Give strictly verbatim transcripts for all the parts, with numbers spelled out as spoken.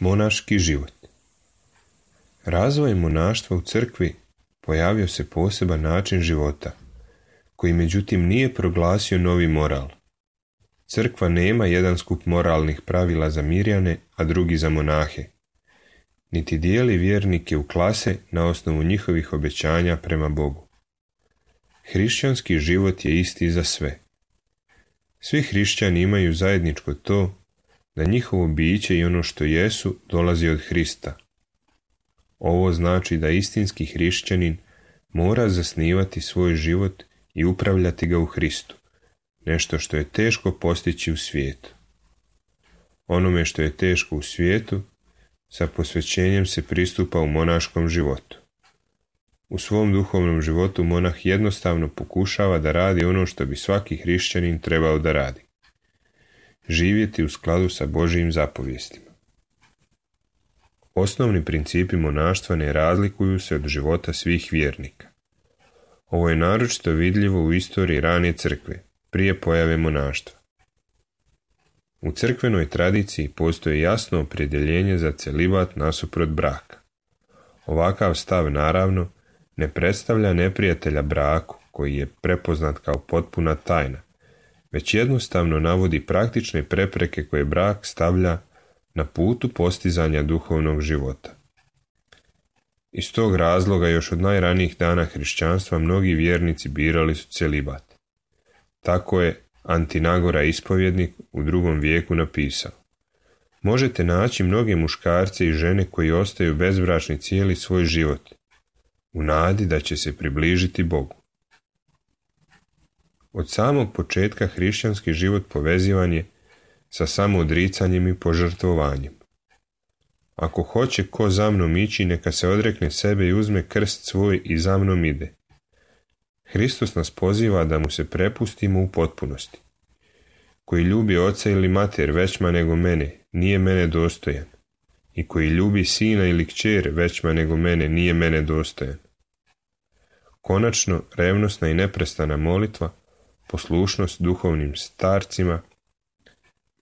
Monaški život. Razvojem monaštva u crkvi pojavio se poseban način života, koji međutim nije proglasio novi moral. Crkva nema jedan skup moralnih pravila za mirjane, a drugi za monahe, niti dijeli vjernike u klase na osnovu njihovih obećanja prema Bogu. Hrišćanski život je isti za sve. Svi hrišćani imaju zajedničko to da njihovo biće i ono što jesu dolazi od Hrista. Ovo znači da istinski hrišćanin mora zasnivati svoj život i upravljati ga u Hristu, nešto što je teško postići u svijetu. Onome što je teško u svijetu, sa posvećenjem se pristupa u monaškom životu. U svom duhovnom životu monah jednostavno pokušava da radi ono što bi svaki hrišćanin trebao da radi. Živjeti u skladu sa Božjim zapovjestima. Osnovni principi monaštva ne razlikuju se od života svih vjernika. Ovo je naročito vidljivo u istoriji rane crkve, prije pojave monaštva. U crkvenoj tradiciji postoji jasno opredjeljenje za celibat nasuprot braka. Ovakav stav naravno ne predstavlja neprijatelja braku, koji je prepoznat kao potpuna tajna, već jednostavno navodi praktične prepreke koje brak stavlja na putu postizanja duhovnog života. Iz tog razloga još od najranijih dana hrišćanstva mnogi vjernici birali su celibat. Tako je Antinagora ispovjednik u drugom vijeku napisao: možete naći mnoge muškarce i žene koji ostaju bezbračni cijeli svoj život, u nadi da će se približiti Bogu. Od samog početka hrišćanski život povezivan je sa samoodricanjem i požrtvovanjem. Ako hoće ko za mnom ići, neka se odrekne sebe i uzme krst svoj i za mnom ide. Hristos nas poziva da mu se prepustimo u potpunosti. Koji ljubi oca ili mater većma nego mene, nije mene dostojan. I koji ljubi sina ili kćer većma nego mene, nije mene dostojan. Konačno, revnosna i neprestana molitva, poslušnost duhovnim starcima,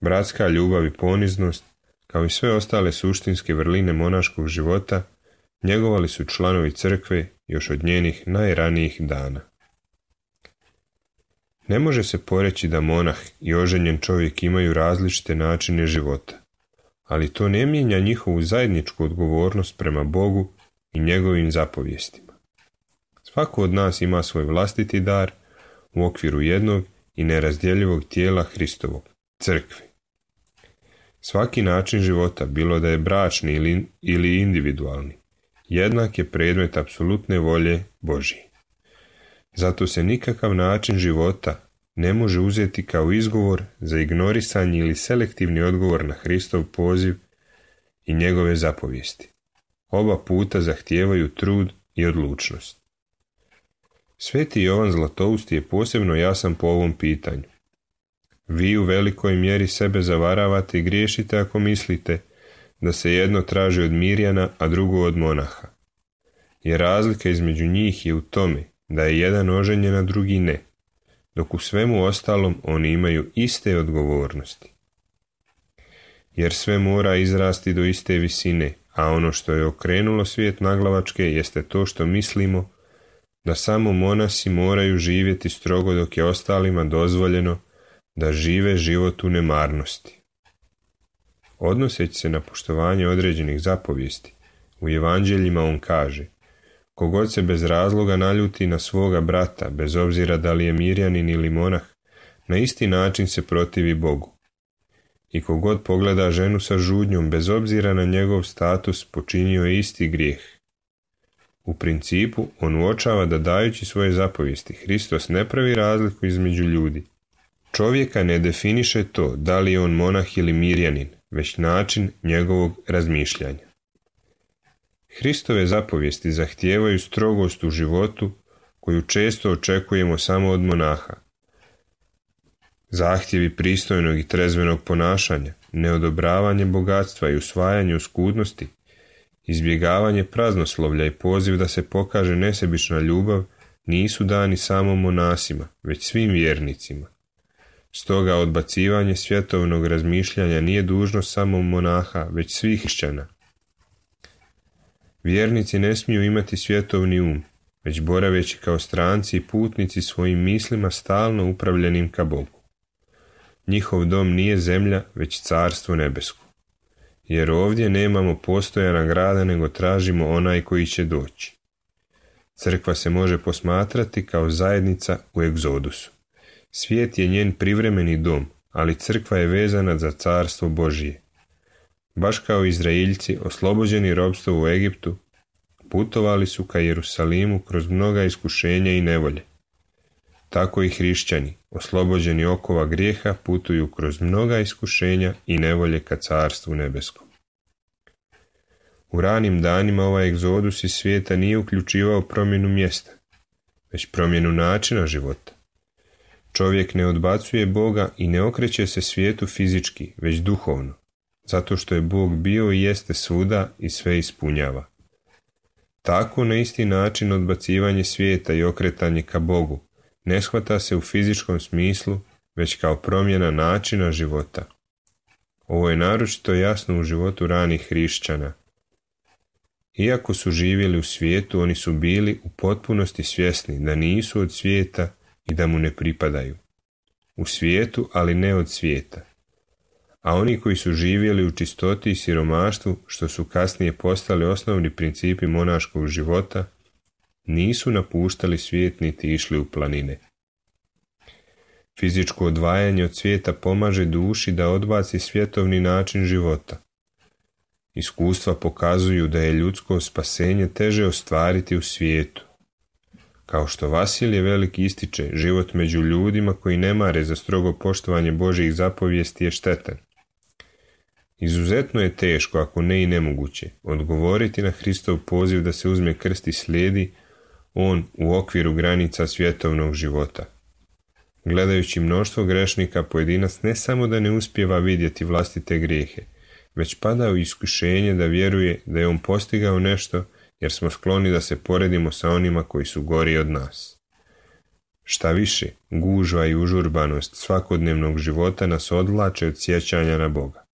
bratska ljubav i poniznost, kao i sve ostale suštinske vrline monaškog života, njegovali su članovi crkve još od njenih najranijih dana. Ne može se poreći da monah i oženjen čovjek imaju različite načine života, ali to ne mijenja njihovu zajedničku odgovornost prema Bogu i njegovim zapovjestima. Svako od nas ima svoj vlastiti dar u okviru jednog i nerazdjeljivog tijela Hristovog, crkve. Svaki način života, bilo da je bračni ili, ili individualni, jednak je predmet apsolutne volje Božje. Zato se nikakav način života ne može uzeti kao izgovor za ignorisanje ili selektivni odgovor na Hristov poziv i njegove zapovijesti. Oba puta zahtijevaju trud i odlučnost. Sveti Jovan Zlatousti je posebno jasan po ovom pitanju. Vi u velikoj mjeri sebe zavaravate i griješite ako mislite da se jedno traži od mirjana, a drugo od monaha. Jer razlika između njih je u tome da je jedan oženjen, a drugi ne, dok u svemu ostalom oni imaju iste odgovornosti. Jer sve mora izrasti do iste visine, a ono što je okrenulo svijet naglavačke jeste to što mislimo da samo monasi moraju živjeti strogo dok je ostalima dozvoljeno da žive život u nemarnosti. Odnoseći se na poštovanje određenih zapovijesti, u evanđeljima on kaže: kogod se bez razloga naljuti na svoga brata, bez obzira da li je mirjanin ili monah, na isti način se protivi Bogu. I kogod pogleda ženu sa žudnjom, bez obzira na njegov status, počinio je isti grijeh. U principu, on uočava da dajući svoje zapovijesti, Hristos ne pravi razliku između ljudi. Čovjeka ne definiše to da li je on monah ili mirjanin, već način njegovog razmišljanja. Hristove zapovijesti zahtijevaju strogost u životu koju često očekujemo samo od monaha. Zahtjevi pristojnog i trezvenog ponašanja, neodobravanje bogatstva i usvajanje uskudnosti, izbjegavanje praznoslovlja i poziv da se pokaže nesebična ljubav nisu dani samo monasima, već svim vjernicima. Stoga odbacivanje svjetovnog razmišljanja nije dužnost samo monaha, već svih hrišćana. Vjernici ne smiju imati svjetovni um, već boraveći kao stranci i putnici svojim mislima stalno upravljenim ka Bogu. Njihov dom nije zemlja, već carstvo nebesko. Jer ovdje nemamo postojana grada, nego tražimo onaj koji će doći. Crkva se može posmatrati kao zajednica u egzodusu. Svijet je njen privremeni dom, ali crkva je vezana za carstvo Božije. Baš kao Izraeljci, oslobođeni ropstva u Egiptu, putovali su ka Jerusalimu kroz mnoga iskušenja i nevolje. Tako i hrišćani, oslobođeni okova grijeha, putuju kroz mnoga iskušenja i nevolje ka carstvu nebeskom. U ranim danima ovaj egzodus iz svijeta nije uključivao promjenu mjesta, već promjenu načina života. Čovjek ne odbacuje Boga i ne okreće se svijetu fizički, već duhovno, zato što je Bog bio i jeste svuda i sve ispunjava. Tako na isti način odbacivanje svijeta i okretanje ka Bogu ne shvata se u fizičkom smislu, već kao promjena načina života. Ovo je naročito jasno u životu ranih hrišćana. Iako su živjeli u svijetu, oni su bili u potpunosti svjesni da nisu od svijeta i da mu ne pripadaju. U svijetu, ali ne od svijeta. A oni koji su živjeli u čistoti i siromaštvu, što su kasnije postali osnovni principi monaškog života, nisu napuštali svijet niti išli u planine. Fizičko odvajanje od svijeta pomaže duši da odbaci svjetovni način života. Iskustva pokazuju da je ljudsko spasenje teže ostvariti u svijetu. Kao što Vasilije Veliki ističe, život među ljudima koji ne mare za strogo poštovanje Božjih zapovijesti je štetan. Izuzetno je teško, ako ne i nemoguće, odgovoriti na Hristov poziv da se uzme krst i slijedi on u okviru granica svjetovnog života. Gledajući mnoštvo grešnika, pojedinac ne samo da ne uspijeva vidjeti vlastite grijehe, već pada u iskušenje da vjeruje da je on postigao nešto, jer smo skloni da se poredimo sa onima koji su gori od nas. Šta više, gužva i užurbanost svakodnevnog života nas odvlače od sjećanja na Boga.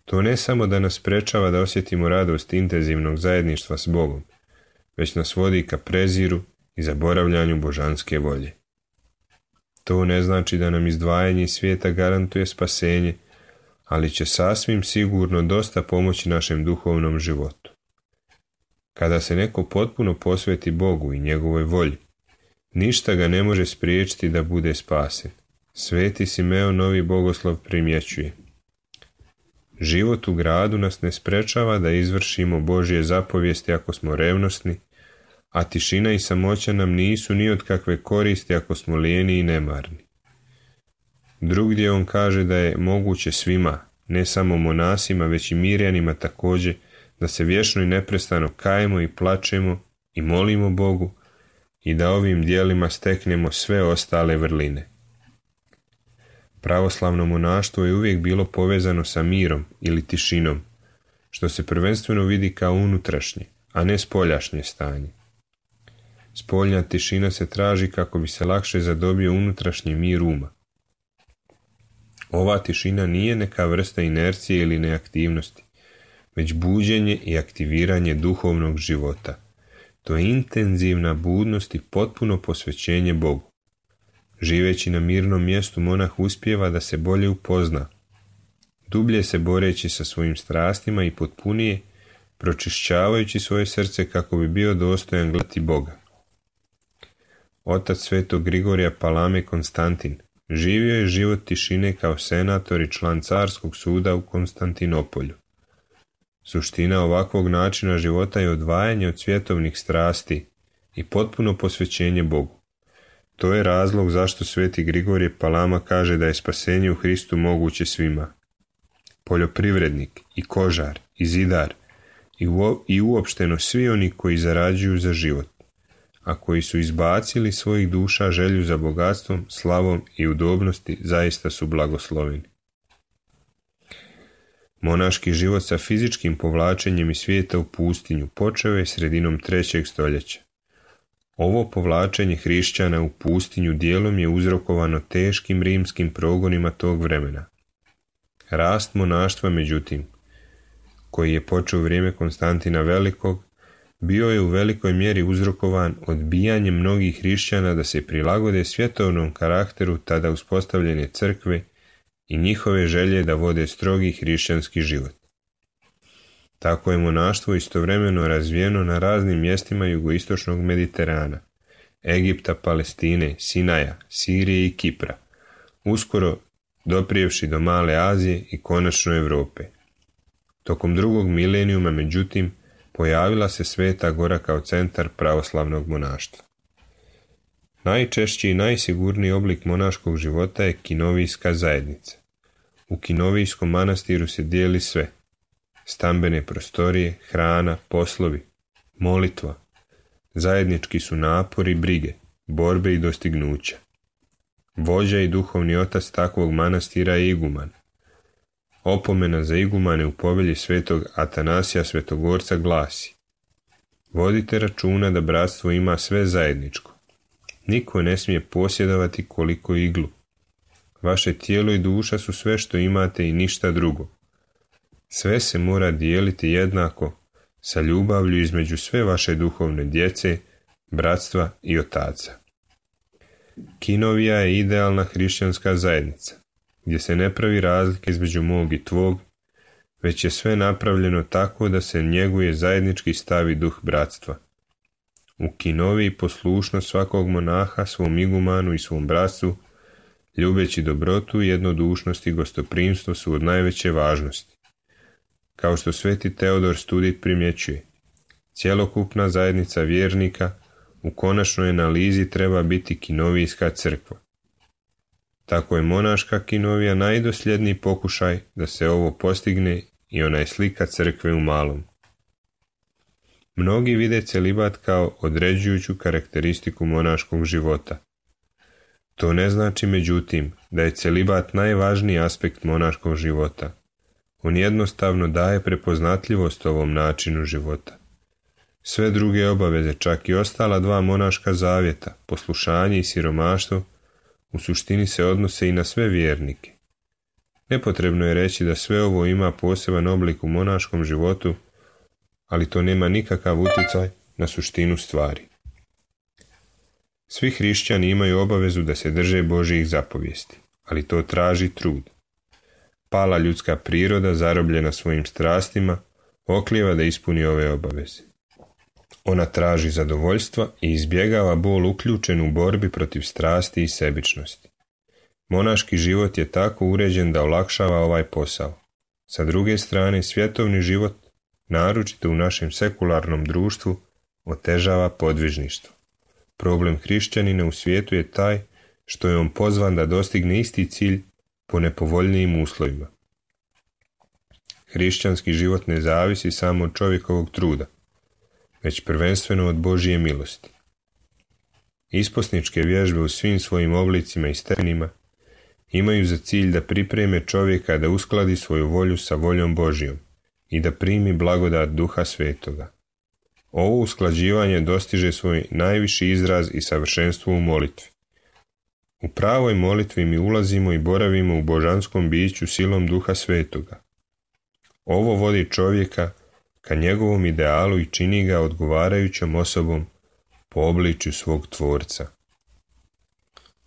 To ne samo da nas sprečava da osjetimo radost intenzivnog zajedništva s Bogom, već nas vodi ka preziru i zaboravljanju božanske volje. To ne znači da nam izdvajanje iz svijeta garantuje spasenje, ali će sasvim sigurno dosta pomoći našem duhovnom životu. Kada se neko potpuno posveti Bogu i njegovoj volji, ništa ga ne može spriječiti da bude spasen. Sveti Simeon Novi Bogoslov primjećuje: život u gradu nas ne sprečava da izvršimo Božje zapovijesti ako smo revnosni, a tišina i samoća nam nisu ni od kakve koristi ako smo lijeni i nemarni. Drugdje on kaže da je moguće svima, ne samo monasima, već i mirjanima također, da se vječno i neprestano kajemo i plačemo i molimo Bogu i da ovim dijelima steknemo sve ostale vrline. Pravoslavno monaštvo je uvijek bilo povezano sa mirom ili tišinom, što se prvenstveno vidi kao unutrašnje, a ne spoljašnje stanje. Spoljna tišina se traži kako bi se lakše zadobio unutrašnji mir uma. Ova tišina nije neka vrsta inercije ili neaktivnosti, već buđenje i aktiviranje duhovnog života. To je intenzivna budnost i potpuno posvećenje Bogu. Živeći na mirnom mjestu, monah uspijeva da se bolje upozna, dublje se boreći sa svojim strastima i potpunije, pročišćavajući svoje srce kako bi bio dostojan gledati Boga. Otac svetog Grigorija Palame Konstantin živio je život tišine kao senator i član carskog suda u Konstantinopolju. Suština ovakvog načina života je odvajanje od svjetovnih strasti i potpuno posvećenje Bogu. To je razlog zašto sveti Grigorije Palama kaže da je spasenje u Hristu moguće svima. Poljoprivrednik i kožar i zidar i, uo, i uopšteno svi oni koji zarađuju za život, a koji su izbacili svojih duša želju za bogatstvom, slavom i udobnosti, zaista su blagosloveni. Monaški život sa fizičkim povlačenjem iz svijeta u pustinju počeo je sredinom trećeg stoljeća. Ovo povlačenje hrišćana u pustinju dijelom je uzrokovano teškim rimskim progonima tog vremena. Rast monaštva, međutim, koji je počeo u vrijeme Konstantina Velikog, bio je u velikoj mjeri uzrokovan odbijanjem mnogih hrišćana da se prilagode svjetovnom karakteru tada uspostavljene crkve i njihove želje da vode strogi hrišćanski život. Tako je monaštvo istovremeno razvijeno na raznim mjestima jugoistočnog Mediterana, Egipta, Palestine, Sinaja, Sirije i Kipra, uskoro doprijevši do Male Azije i konačno Europe. Tokom drugog milenijuma, međutim, pojavila se Sveta Gora kao centar pravoslavnog monaštva. Najčešći i najsigurniji oblik monaškog života je kinovijska zajednica. U kinovijskom manastiru se dijeli sve: stambene prostorije, hrana, poslovi, molitva. Zajednički su napori, brige, borbe i dostignuća. Vođa i duhovni otac takvog manastira je iguman. Opomena za igumane u povelji svetog Atanasija Svetogorca glasi: vodite računa da bratstvo ima sve zajedničko. Niko ne smije posjedovati koliko iglu. Vaše tijelo i duša su sve što imate i ništa drugo. Sve se mora dijeliti jednako, sa ljubavlju između sve vaše duhovne djece, bratstva i otaca. Kinovija je idealna hrišćanska zajednica, gdje se ne pravi razlike između mog i tvog, već je sve napravljeno tako da se njeguje zajednički stav i duh bratstva. U Kinoviji poslušnost svakog monaha svom igumanu i svom bratstvu, ljubeći dobrotu, jednodušnost i gostoprimstvo su od najveće važnosti. Kao što sveti Teodor Studit primjećuje, cjelokupna zajednica vjernika u konačnoj analizi treba biti kinovijska crkva. Tako je monaška kinovija najdosljedniji pokušaj da se ovo postigne i ona je slika crkve u malom. Mnogi vide celibat kao određujuću karakteristiku monaškog života. To ne znači, međutim, da je celibat najvažniji aspekt monaškog života. On jednostavno daje prepoznatljivost ovom načinu života. Sve druge obaveze, čak i ostala dva monaška zavjeta, poslušanje i siromaštvo, u suštini se odnose i na sve vjernike. Nepotrebno je reći da sve ovo ima poseban oblik u monaškom životu, ali to nema nikakav utjecaj na suštinu stvari. Svi hrišćani imaju obavezu da se drže Božjih zapovijesti, ali to traži trud. Pala ljudska priroda, zarobljena svojim strastima, oklijeva da ispuni ove obaveze. Ona traži zadovoljstva i izbjegava bol uključen u borbi protiv strasti i sebičnosti. Monaški život je tako uređen da olakšava ovaj posao. Sa druge strane, svjetovni život, naročito u našem sekularnom društvu, otežava podvižništvo. Problem hrišćanina u svijetu je taj što je on pozvan da dostigne isti cilj po nepovoljnijim uslovima. Hrišćanski život ne zavisi samo od čovjekovog truda, već prvenstveno od Božje milosti. Isposničke vježbe u svim svojim oblicima i stepenima imaju za cilj da pripreme čovjeka da uskladi svoju volju sa voljom Božjom i da primi blagodat Duha Svetoga. Ovo usklađivanje dostiže svoj najviši izraz i savršenstvo u molitvi. U pravoj molitvi mi ulazimo i boravimo u božanskom biću silom Duha Svetoga. Ovo vodi čovjeka ka njegovom idealu i čini ga odgovarajućom osobom po obličju svog Tvorca.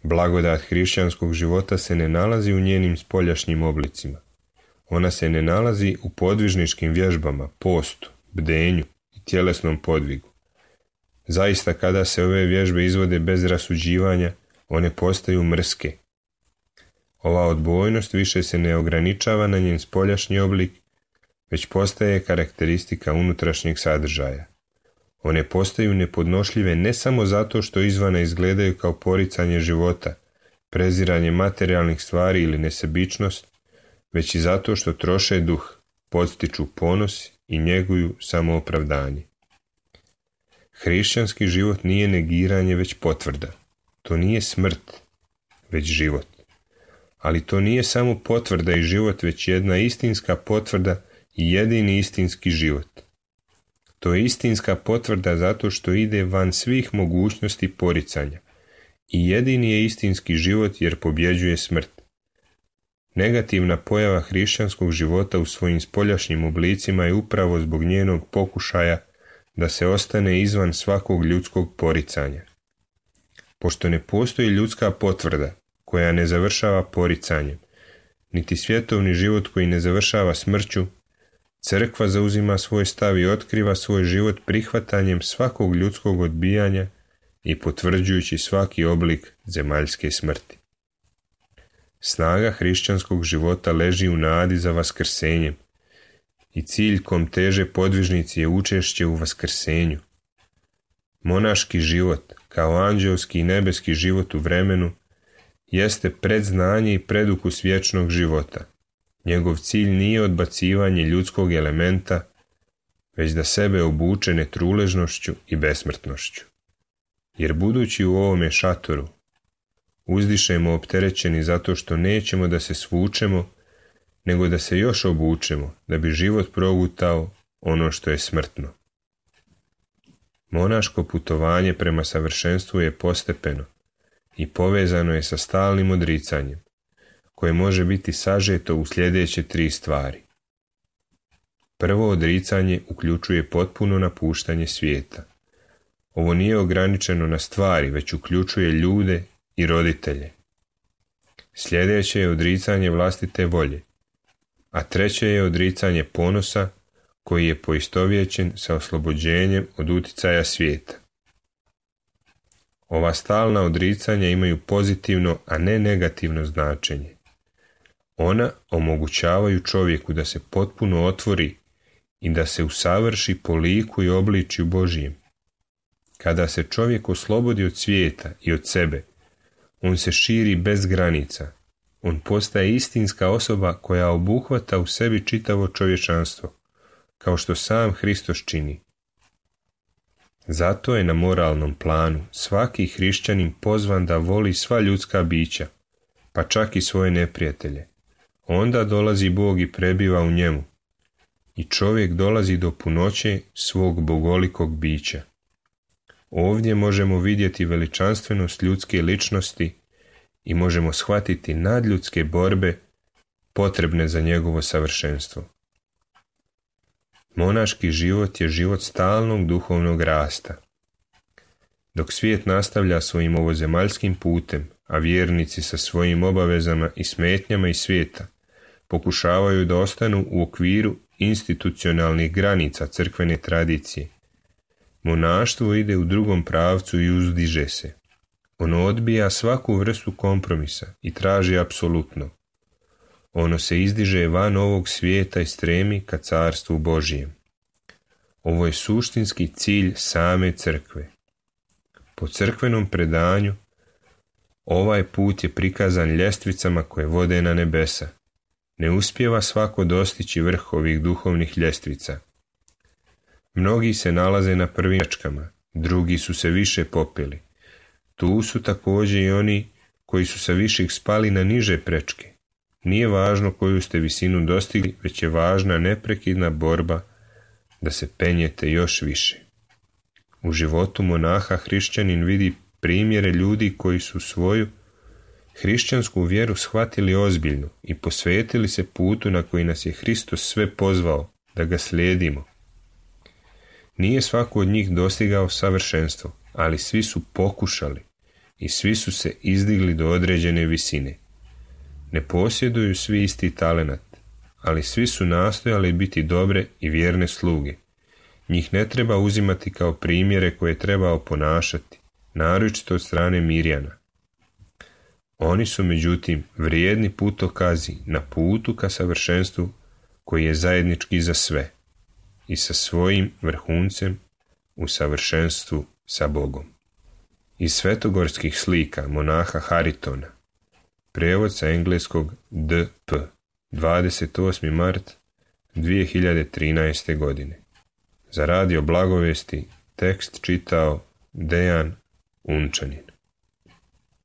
Blagodat hrišćanskog života se ne nalazi u njenim spoljašnjim oblicima. Ona se ne nalazi u podvižničkim vježbama, postu, bdenju i tjelesnom podvigu. Zaista, kada se ove vježbe izvode bez rasuđivanja, one postaju mrske. Ova odbojnost više se ne ograničava na njen spoljašnji oblik, već postaje karakteristika unutrašnjeg sadržaja. One postaju nepodnošljive ne samo zato što izvana izgledaju kao poricanje života, preziranje materijalnih stvari ili nesebičnost, već i zato što troše duh, podstiču ponos i njeguju samoopravdanje. Hrišćanski život nije negiranje, već potvrda. To nije smrt, već život. Ali to nije samo potvrda i život, već jedna istinska potvrda i jedini istinski život. To je istinska potvrda zato što ide van svih mogućnosti poricanja i jedini je istinski život jer pobjeđuje smrt. Negativna pojava hrišćanskog života u svojim spoljašnjim oblicima je upravo zbog njenog pokušaja da se ostane izvan svakog ljudskog poricanja. Pošto ne postoji ljudska potvrda koja ne završava poricanjem, niti svjetovni život koji ne završava smrću, crkva zauzima svoj stav i otkriva svoj život prihvatanjem svakog ljudskog odbijanja i potvrđujući svaki oblik zemaljske smrti. Snaga hrišćanskog života leži u nadi za vaskrsenjem i cilj kom teže podvižnici je učešće u vaskrsenju. Monaški život, kao anđelski i nebeski život u vremenu, jeste predznanje i predukus vječnog života. Njegov cilj nije odbacivanje ljudskog elementa, već da sebe obuče netruležnošću i besmrtnošću. Jer budući u ovome šatoru, uzdišemo opterećeni zato što nećemo da se svučemo, nego da se još obučemo, da bi život progutao ono što je smrtno. Monaško putovanje prema savršenstvu je postepeno i povezano je sa stalnim odricanjem, koje može biti sažeto u sljedeće tri stvari. Prvo odricanje uključuje potpuno napuštanje svijeta. Ovo nije ograničeno na stvari, već uključuje ljude i roditelje. Sljedeće je odricanje vlastite volje, a treće je odricanje ponosa koji je poistovjećen sa oslobođenjem od uticaja svijeta. Ova stalna odricanja imaju pozitivno, a ne negativno značenje. Ona omogućavaju čovjeku da se potpuno otvori i da se usavrši po liku i obličju Božijem. Kada se čovjek oslobodi od svijeta i od sebe, on se širi bez granica. On postaje istinska osoba koja obuhvata u sebi čitavo čovječanstvo, kao što sam Hristos čini. Zato je na moralnom planu svaki hrišćanin pozvan da voli sva ljudska bića, pa čak i svoje neprijatelje. Onda dolazi Bog i prebiva u njemu, i čovjek dolazi do punoće svog bogolikog bića. Ovdje možemo vidjeti veličanstvenost ljudske ličnosti i možemo shvatiti nadljudske borbe potrebne za njegovo savršenstvo. Monaški život je život stalnog duhovnog rasta. Dok svijet nastavlja svojim ovozemaljskim putem, a vjernici sa svojim obavezama i smetnjama iz svijeta pokušavaju da ostanu u okviru institucionalnih granica crkvene tradicije, monaštvo ide u drugom pravcu i uzdiže se. Ono odbija svaku vrstu kompromisa i traži apsolutno. Ono se izdiže van ovog svijeta i stremi ka carstvu Božijem. Ovo je suštinski cilj same crkve. Po crkvenom predanju, ovaj put je prikazan ljestvicama koje vode na nebesa. Ne uspijeva svako dostići vrh ovih duhovnih ljestvica. Mnogi se nalaze na prvim prečkama, drugi su se više popili. Tu su također i oni koji su sa viših spali na niže prečke. Nije važno koju ste visinu dostigli, već je važna neprekidna borba da se penjete još više. U životu monaha hrišćanin vidi primjere ljudi koji su svoju hrišćansku vjeru shvatili ozbiljno i posvetili se putu na koji nas je Hristos sve pozvao da ga slijedimo. Nije svako od njih dostigao savršenstvo, ali svi su pokušali i svi su se izdigli do određene visine. Ne posjeduju svi isti talenat, ali svi su nastojali biti dobre i vjerne sluge. Njih ne treba uzimati kao primjere koje treba oponašati, naročito od strane Mirjana. Oni su međutim vrijedni putokazi na putu ka savršenstvu koji je zajednički za sve i sa svojim vrhuncem u savršenstvu sa Bogom. Iz svetogorskih slika monaha Haritona, prijevod sa engleskog D P, dvadeset osmi mart dvije hiljade trinaeste. godine. Za radio Blagovesti tekst čitao Dejan Unčanin.